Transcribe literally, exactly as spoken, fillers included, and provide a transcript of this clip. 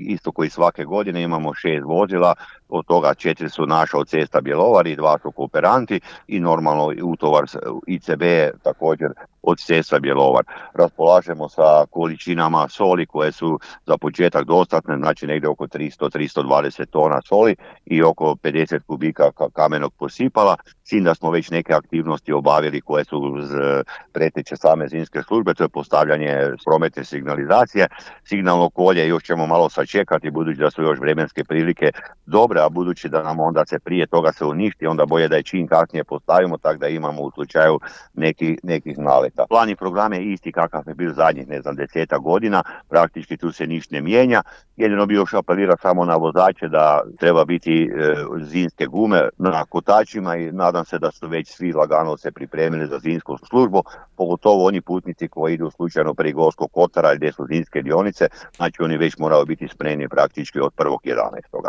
isto koji svake godine imamo šest vozila, od toga četiri su naša od cesta Bjelovar i dva su kooperanti i normalno utovar I C B također od cesta Bjelovar. Raspolažemo sa količinama soli koje su za početak dostatne, znači negdje oko tristo do tristo dvadeset tona soli i oko pedeset kubika kamenog posipala, s tim da smo već neke aktivnosti obavili koje su uz preteče same zimske službe, to je postavljanje prometne signalizacije. Signalno kolje još ćemo malo sačekati, budući da su još vremenske prilike dobre, a budući da nam onda se prije toga se uništi, onda bolje da je čim kasnije postavimo, tako da imamo u slučaju neki, nekih naleta. Plan i program je isti kakav je bio zadnjih, ne znam, deseta godina, praktički tu se ništa ne mijenja. Jedino bi još apelirao samo na vozače da treba biti e, zimske gume na kotačima i nadam se da su već svi lagano se pripremili za zimsku službu, pogotovo oni putnici koji idu slučajno prije Gorskog kotara gdje su zimske dionice, znači oni već moraju biti spremni praktički od prvog jedanaestog